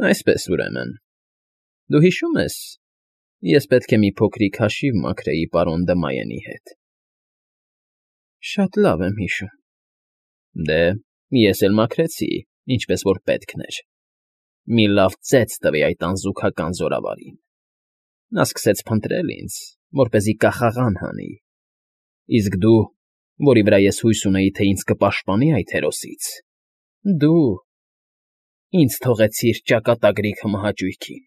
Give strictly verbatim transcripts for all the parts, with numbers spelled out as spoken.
Այսպես, ուրեմն, դու հիշո՞ւմ ես, ես պետք է մի փոքրիկ հաշիվ մաքրեի պարոն Դմայենի հետ։ ֊ Շատ լավ եմ հիշում։ ֊ Դե, ես էլ մաքրեցի, ինչպես որ պետքն էր, մի լավ ծեծ տվի այդ անզուգական զորավարին. նա սկսեց փնտրել ինձ, որպեսզի կախաղան հանի, իսկ դու, որի վրա ես հույս ունեի, թե ինձ կպաշտպանի այդ հերոսից, դու ինձ թողեցիր ճակատագրի քմահաճույքին,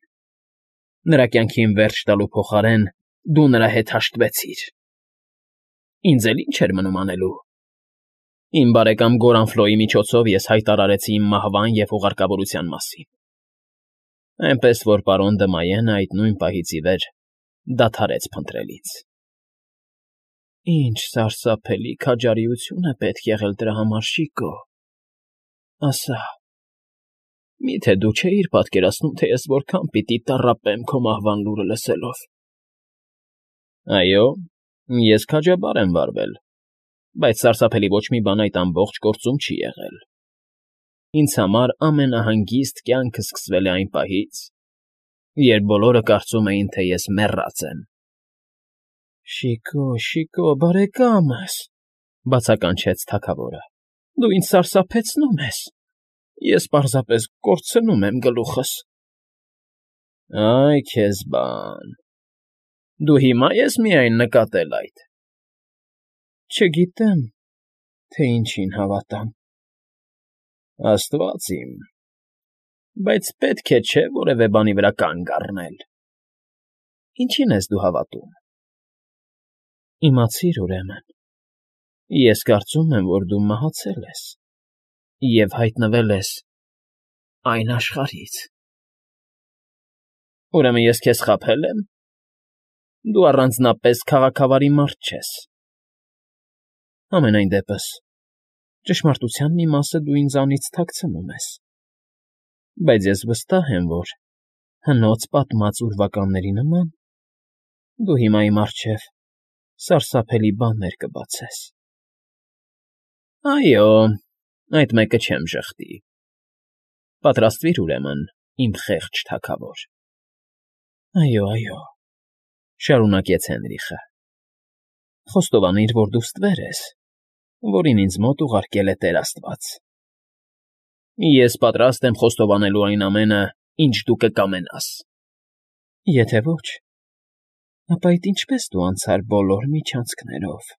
նրա կյանքին վերջ տալու փոխարեն դու նրա հետ հաշտվեցիր, ինձ էլ ի՞նչ էր մնում անելու. իմ բարեկամ Գորանֆլոյի միջոցով ես հայտարարեցի իմ մահվան և ուղարկավորության մասին, այնպես որ պարոն Դմայենը այդ նույն պահից ի վեր դադարեց փնտրել ինձ։ ֊ Ինչ սարսափելի քաջարիություն է պետք եղել դրա համար, Շիկո, ասա, մի՞թե դու չէիր պատկերացնում, թե ես որքան պիտի տառապեմ քո մահվան լուրը լսելով։ ֊ Այո, ես քաջաբար եմ վարվել, բայց սարսափելի ոչ մի բան այդ ամբողջ գործում չի եղել. ինձ համար ամենահանգիստ կյանքը սկսվել է այն պահից, երբ բոլորը կարծում էին, թե ես մեռած եմ։ ֊ Շիկո, Շիկո, բարեկամս,֊ բացականչեց թագավորը,֊ դու ինձ սարսափեցնում ես, ես պարզապես կորցնում եմ գլուխս։ ֊ Այ քեզ բան, դու հիմա ես միայն նկատել այդ։ ֊ Չգիտեմ, թե ինչին հավատամ։ ֊ Աստված իմ, բայց պետք է չէ որևէ բանի վրա կանգ առնել։ ֊ Ինչի՞ն ես դու հավատում։ ֊ Իմացիր, ուրեմն, ես կարծում եմ, որ դու մահացել ես և հայտնվել ես այն աշխարհից։ ֊ Ուրեմն ես քեզ խաբե՞լ եմ։ Դու առանձնապես քաղաքավարի մարդ չես։ ֊ Համենայն դեպս, ճշմարտության մի մասը դու ինձանից թաքցնում ես, բայց ես վստահ եմ, որ հնոց պատմած ուրվականների նման դու հիմա իմ առջև սարսափելի բաներ կբացես։ ֊ Այո, այդ մեկը չեմ ժխտի։ Պատրաստվիր, ուրեմն, իմ խեղճ թագավոր։ ֊ Այո, այո,֊ շարունակեց Հենրիխը,֊ խոստովանիր, որ դու ստվեր ես, որին ինձ մոտ ուղարկել է Տեր Աստված։ ֊ Ես պատրաստ եմ խոստովանելու այն ամենը, ինչ դու կկամենաս։ ֊ Եթե ոչ, ապա այդ ինչպե՞ս դու անցար բոլոր միջանցքներով,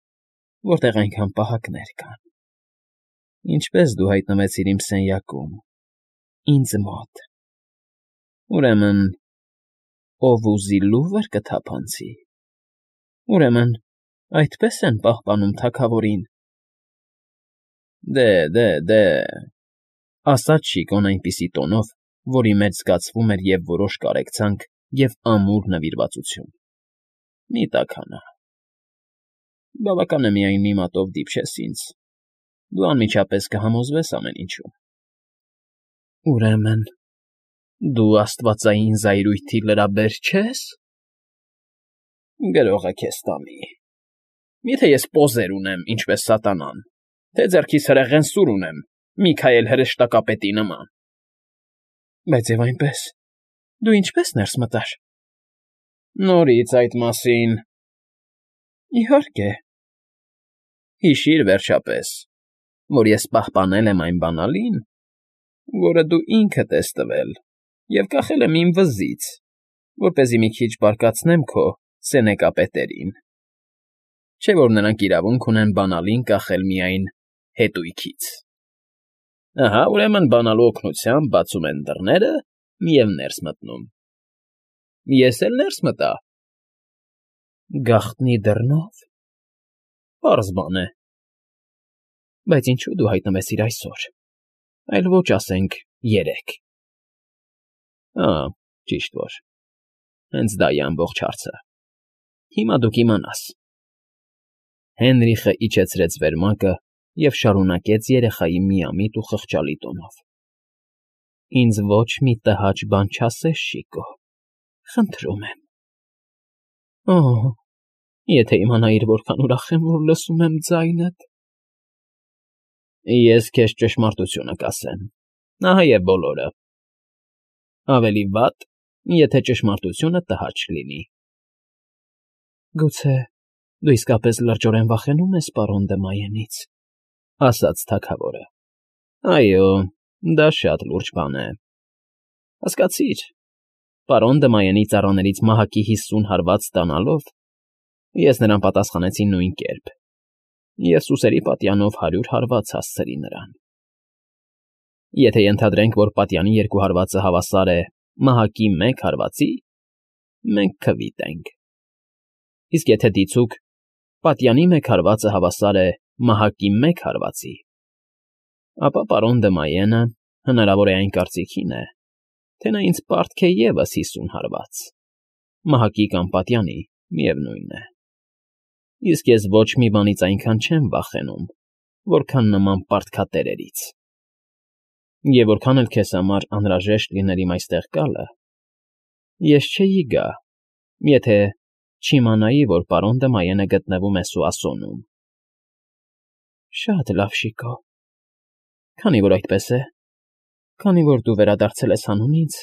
որտեղ այնքան պահակներ կան, ինչպե՞ս դու հայտնվեցիր իմ սենյակում, ինձ մոտ, ուրեմն, ով ուզի լուվր կթափանցի, ուրեմն, այդպես են պահպանում թագավորին։ ֊ Դե, դե, դե,֊ ասաց Շիկոն այնպիսի տոնով, որի մեջ զգացվում էր և՛ որոշ կարեկցանք, և՛ ամուր նվիրվածություն,֊ մի՛ տաքանա. բավական է միայն մի մատով դիպչես ինձ, դու անմիջապես կհամոզվես ամեն ինչում։ ֊ Ուրեմն, դու աստվածային զայրույթի լրաբեր չե՞ս։ ֊ Գրողը քեզ տանի։ Մի՞թե ես պոզեր ունեմ, ինչպես սատանան, թե ձեռքիս հրեղեն սուր ունեմ, Միքայել հրեշտակապետի նման։ ֊ Բայց և այնպես, դու ինչպե՞ս ներս մտար։ ֊ Նորից այդ մասին։ ֊ Իհարկե։ ֊ Հիշիր, վերջապես, որ ես պահպանել եմ այն բանալին, որը դու ինքդ ես տվել և կախել եմ իմ վզից, որպեսզի մի քիչ բարկացնեմ քո սենեկապետերին, չէ՞ որ նրանք իրավունք ունեն բանալին կախել միայն հետույքից։ Ահա, ուրեմն, բանալու օգնությամբ բացում են դռները և ներս մտնում։ Ես էլ ներս մտա։ ֊ Գաղտնի դռնո՞վ։ ֊ Պարզ բան է։ ֊ Բայց ինչո՞ւ դու հայտնվեցիր այսօր, այլ ոչ, ասենք, երեկ։ ֊ Ա՜, ճիշտ որ, հենց դա է ամբողջ հարցը, հիմա դու կիմանաս։ Հենրիխը իջեցրեց վերմակը և շարունակեց երեխայի միամիտ ու խղճալի տոնով. ֊ Ինձ ոչ մի տհաճ բան չասես, Շիկո, խնդրում եմ։ Օ՜, եթե իմանայիր որքան ուրախ եմ, որ լսում եմ ձայնդ։ ֊ Ես քեզ ճշմարտությունը կասեմ, ահա և բոլորը։ Ավելի վատ, եթե ճշմարտությունը տհաճ լինի։ ֊ Գուցե դու իսկապես լրջորեն վախենու՞մ ես պարոն Դմայենից,֊ ասաց թագավորը։ ֊ Այո, դա շատ լուրջ բան է։ Հասկացիր, պարոն Դմայենի ծառաներից մահակի հիսուն հարված ստանալով, ես նրան պատասխանեցի նույն կերպ և սուսերի պատյանով հարյուր հարված հասցրի նրան։ Եթե ենթադրենք, որ պատյանի երկու հարվածը հավասար է մահակի մեկ հարվածի, մենք քվիտ ենք, իսկ եթե դիցուք պատյանի մեկ հարվածը հավասար է մահակի մեկ հարվածի, ապա պարոն Դմայենը հնարավոր է այն կարծիքին է, թե նա ինձ պարտք է ևս հիսուն հարված, մահակի կամ պատյանի, միևնույն է, իսկ ես ոչ մի բանից այնքան չեմ վախենում, որքան նման պարտքատերերից, և որքան էլ քեզ համար անհրաժեշտ լիներ իմ այստեղ գալը, ես չէի գա, եթե չիմանայի, որ պարոն Դմայենը գտնվում է Սուասոնում։ ֊ Շատ լավ, Շիկո, քանի որ այդպես է, քանի որ դու վերադարձել ես հանուն ինձ,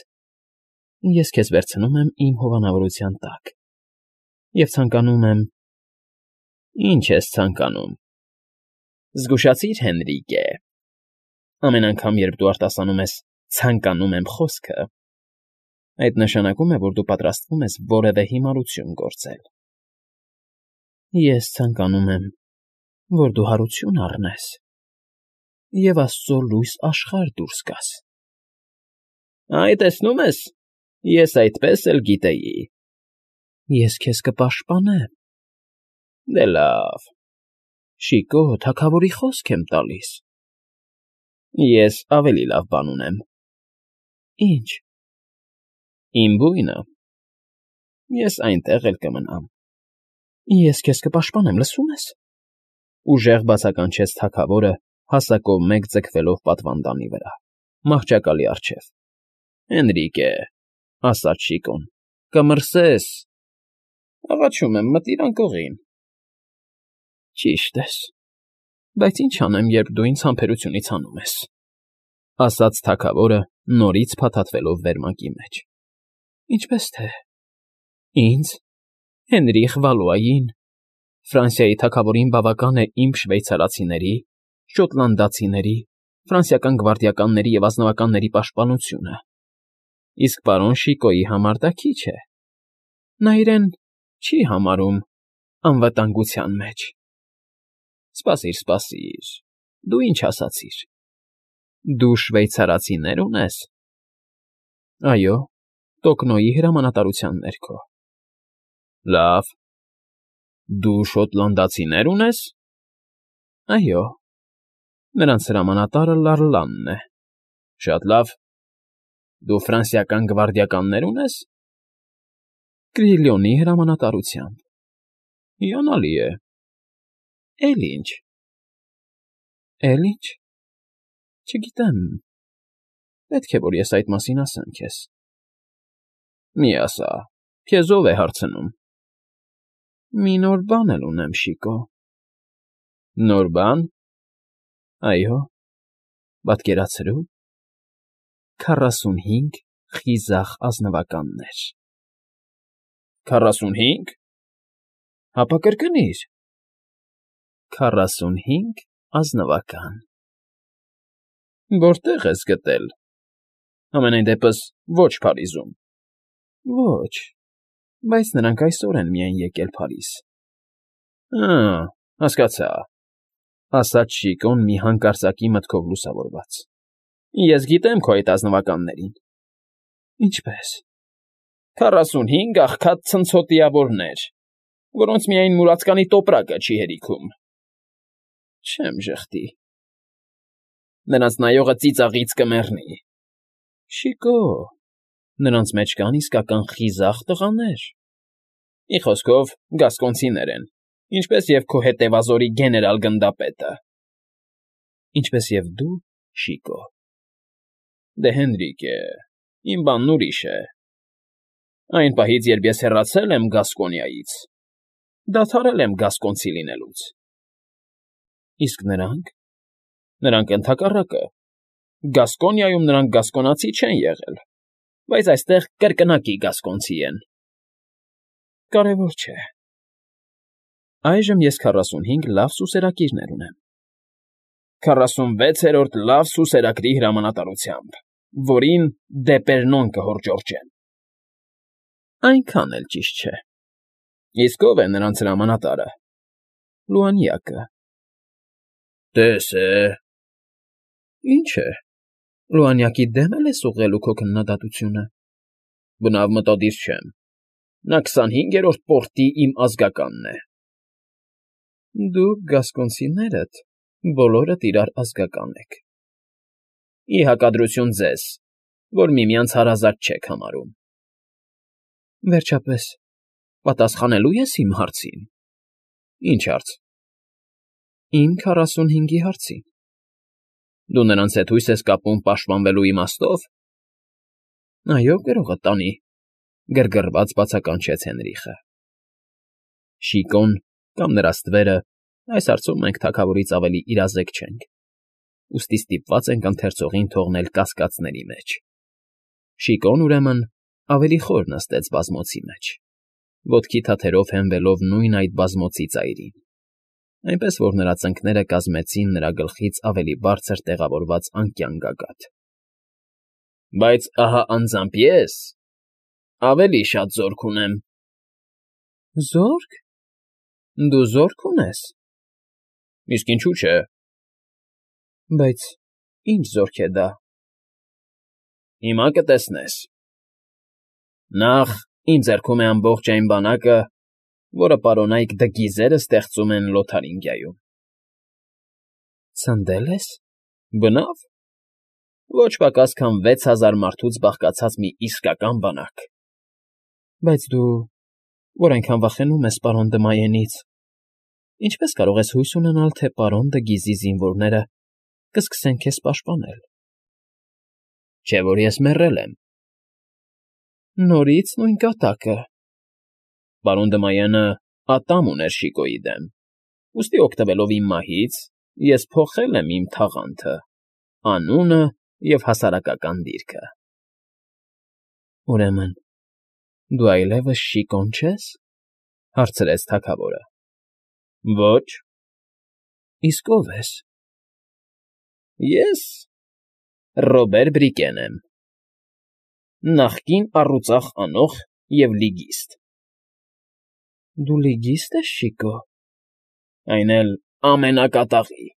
ես քեզ վերցնում եմ իմ հովանավորության տակ և ցանկանում եմ… ֊ Ինչ ես ցանկանում… Զգուշացիր, Հենրիկե… Ամեն անգամ, երբ դու արտասանում ես «ցանկանում եմ» խոսքը, այդ նշանակում է, որ դու պատրաստվում ես որևէ հիմարություն գործել։ ֊ Ես ցանկանում եմ, որ դու հարություն առնես և աստծո լույս աշխարհ դուրս գաս։ ֊ Այ, տեսնում ես, ես այդպես էլ գիտեի… ֊ Ես քեզ կպաշտպանեմ։ ֊ Դե լավ… Շիկո, թագավորի խոսք եմ տալիս։ ֊ Ես ավելի լավ բան ունեմ։ ֊ Ի՞նչ։ ֊ Իմ բույնը… Ես այնտեղ էլ կմնամ։ ֊ Ես քեզ կպաշտպանեմ, լսո՞ւմ ես,֊ ուժեղ բացականչեց թագավորը, հասակով մեկ ձգվելով պատվանդանի վրա, մահճակալի առջև։ ֊ Հենրիկե…֊ ասաց Շիկոն,֊ կմրսես… ֊ Աղաչում եմ, մտիր անկողին։ ֊ Ճիշտ ես, բայց ինչ անեմ, երբ դու ինձ համբերությունից հանում ես,֊ ասաց թագավորը, նորից փաթաթվելով վերմակի մեջ։ ֊ Ինչպես թե… ինձ, Հենրիխ Վալուային, Ֆրանսիայի թագավորին բավական է իմ շվեյցարացիների, շոտլանդացիների, ֆրանսիական գվարդիականների և ազնվականների պաշտպանությունը, իսկ պարոն Շիկոյի համար դա քիչ է… Նա իրեն չի համարում անվտանգության մեջ… Սպասիր, սպասիր, դու ինչ ասացիր… Դու շվեյցարացիներ ունես… Այո, Տոկնոյի հրամանատարության ներքո։ ֊ Լավ… Դու շոտլանդացիներ ունես… ֊ Այո, նրանց հրամանատարը Լառլանն է։ ֊ Շատ լավ… Դու ֆրանսիական գվարդիականնե՞ր ունես… ֊ Կրիլիոնի հրամանատարությամբ։ ֊ Հիանալի է… ֊ Էլ ինչ… ֊ Էլ ինչ… Չգիտեմ… Պետք է, որ ես այդ մասին ասեմ քեզ։ ֊ Մի ասա, քեզ ո՞վ է հարցնում։ ֊ Մի նոր բան էլ ունեմ, Շիկո։ ֊ Նոր բա՞ն… Այո, պատկերացրու… քառասունհինգ խիզախ ազնվականներ… ֊ Քառասունհի՞նգ… Հապա կրկնիր… ֊ Քառասունհինգ ազնվական… ֊ Որտե՞ղ ես գտել… Համենայն դեպս ոչ Փարիզում… ֊ Ոչ, բայց նրանք այսօր են միայն եկել Փարիզ։ ֊ Ա՜, հասկացա…֊ ասաց Շիկոն մի հանկարծակի մտքով լուսավորված։֊ Ես գիտեմ քո այդ ազնվականներին։ ֊ Ինչպե՞ս։ ֊ Քառասունհինգ աղքատ ցնցոտիավորներ, որոնց միայն մուրացկանի տոպրակը չի հերիքում։ ֊ Չեմ ժխտի… Նրանց նայողը ծիծաղից կմեռնի… ֊ Շիկո… Նրանց մեջ կան իսկական խիզախ տղաներ… Մի խոսքով, գասկոնցիներ են, ինչպես և քո հետևազորի գեներալ֊գնդապետը… ֊ Ինչպես և դու, Շիկո… ֊ Դե, Հենրիկե… Իմ բանն ուրիշ է… Այն պահից, երբ ես հեռացել եմ Գասկոնիայից, դադարել եմ գասկոնցի լինելուց։ ֊ Իսկ նրանք… Նրանք ընդհակառակը… Գասկոնիայում նրանք գասկոնացի չեն եղել։ բայց այստեղ կրկնակի գասկոնցի են։ Կարևոր չէ։ Այժմ ես քառասունհինգ լավ սուսերակիրներ ունեմ։ Քառասունվեցերորդ լավ սուսերակրի հրամանատարությամբ, որին Դեպերնոն կհորջորջեն։ Այնքան էլ ճիշտ չէ։ Իսկ ո՞վ է նրանց հրամանատարը։ Լուանյակը։ Տես է։ Ինչ է։ Լուանյակի դեմ էլ ես ուղղելու քո քննադատությունը։ Բնավ մտադիր չեմ։ Նա քսանհինգերորդ պորտի իմ ազգականն է։ Դուք գասկոնցիներդ բոլորդ իրար ազգական եք։ Ի հակադրություն ձեզ, որ միմյանց հարազատ չեք համարում։ Վերջապես, պատասխանելու ես իմ հարցին։ Ինչ հարց։ Իմ քառասունհինգի հարցին։ Դու նրանց հետ հույս ես կապում պաշտպանվելու իմաստով։ Այո, գրողը տանի, գրգռված բացականչեց Հենրիխը։ Շիկոն կամ նրա ստվերը, այս հարցում մենք թագավորից ավելի իրազեկ չենք, ուստի ստիպված ենք ընթերցողին թողնել կասկածների մեջ։ Շիկոն, ուրեմն, ավելի խոր նստեց բազմոցի մեջ, ոտքի թաթերով հենվելով նույն այդ բազմոցի ծայրին, այնպես որ նրա ծնկները կազմեցին նրա գլխից ավելի բարձր տեղավորված անկյան գագաթ։ Բայց ահա անձամբ ես ավելի շատ զորք ունեմ։ Զո՞րք։ Դու զորք ունես։ Իսկ ինչու՞ չէ։ Բայց ինչ զորք է դա։ Հիմա կտեսնես։ Նախ ինձ ձեռքում է ամբողջ այն բանակը, որը պարոնայք Դգիզերը ստեղծում են Լոթարինգիայում։ Ցնդե՞լ ես։ Բնավ։ Ոչ պակաս քան վեց հազար մարդուց բաղկացած մի իսկական բանակ։ Բայց դու, որ այնքան վախենում ես պարոն Դմայենից, ինչպես կարող ես հույս ունենալ, թե պարոն Դգիզի զինվորները կսկսեն քեզ պաշտպանել։ Չէ՞ որ ես մեռել եմ։ Նորից նույն կատակը։ Պարոն Դմայենը ատամ ուներ Շիկոյի դեմ, ուստի օգտվելով իմ մահից, ես փոխել եմ իմ թաղանթը, անունը և հասարակական դիրքը։ Ուրեմն, դու այլևս Շիկոն չես, հարցրեց թագավորը։ Ոչ։ Իսկ ո՞վ ես։ Ես Ռոբեր Բրիկեն եմ, նախկին առուծախ անոխ և լիգիստ։ Դու լիգիստ ես, Շիկո։ Այն էլ ամենակատաղի։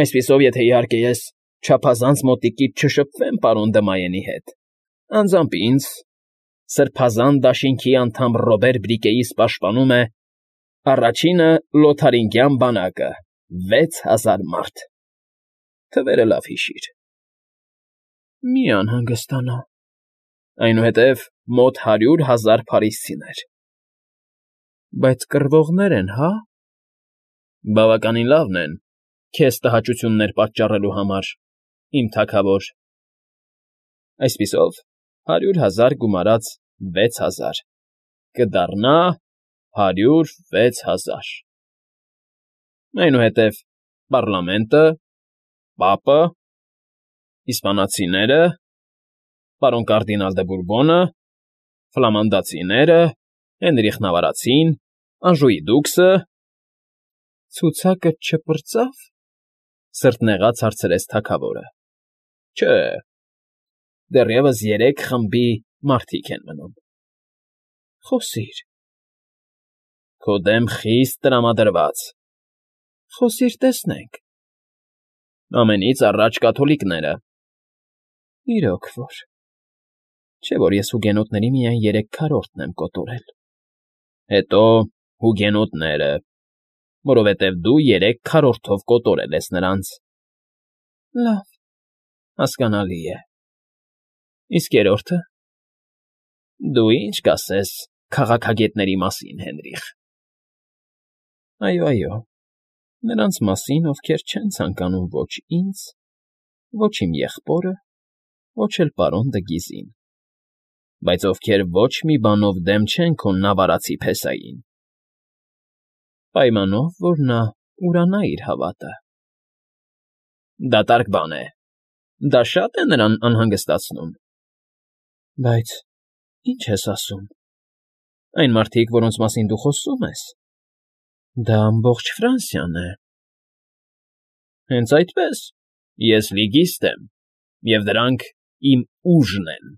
Այսպիսով, եթե իհարկե ես չափազանց մոտիկից չշփվեմ պարոն Դմայենի հետ, անձամբ ինձ, սրբազան դաշինքի անդամ Ռոբեր Բրիկեիս պաշտպանում է առաջինը Լոթարինգյան բանակը, վեց հազար մարդ։ Թվերը լավ հիշիր։ Մի անհանգստանա։ Այնուհետև մոտ հարյուր հազար փարիսցիներ։ Բայց կռվողներ են, հա։ Բավականին լավն են, քեզ տհաճություններ պատճառելու համար, իմ թագավոր։ Այսպիսով, հարյուր հազար գումարած վեց հազար, կդառնա հարյուր վեց հազար։ Այնուհետև պառլամենտը, պապը, իսպանացիները, պարոն կարդինալ դը Բուրբոնը, ֆլամանդացիները, Հենրիխ Նավարացին, Անժուի դուքսը… Ցուցակը չպրծա՞վ, սրտնեղած հարցրեց թագավորը։ Չէ, դեռևս երեք խմբի մարդիկ են մնում։ Խոսիր։ Քո դեմ խիստ տրամադրված։ Խոսիր, տեսնենք։ Ամենից առաջ կաթոլիկները։ Իրոք որ։ Չէ՞ որ ես հուգենոտների միայն երեք քառորդն եմ կոտորել։ Հետո հուգենոտները, որովհետև դու երեք քառորդով կոտորել ես նրանց։ Լավ, հասկանալի է։ Իսկ երրորդը։ Դու ինչ կասես քաղաքագետների մասին, Հենրիխ։ Այո, այո, նրանց մասին, ովքեր չեն ցանկանում ոչ ինձ, ոչ իմ եղբորը, ոչ էլ պարոն Դգիզին, բայց ովքեր ոչ մի բանով դեմ չեն քո նավարացի փեսային։ Պայմանով, որ նա ուրանա իր հավատը։ Դատարկ բան է։ Դա շա՞տ է նրան անհանգստացնում։ Բայց ի՞նչ ես ասում… Այն մարդիկ, որոնց մասին դու խոսում ես… Դա ամբողջ Ֆրանսիան է… ֊ Հենց այդպես, ես լիգիստ եմ, և դրանք իմ ուժն են…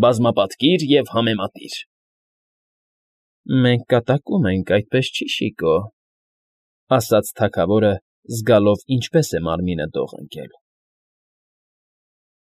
Բազմապատկիր և համեմատիր… ֊ Մենք կատակում ենք, այդպես չի, շիկո,֊ ասաց թագավորը, զգալով ինչպես է մարմինը դող ընկել։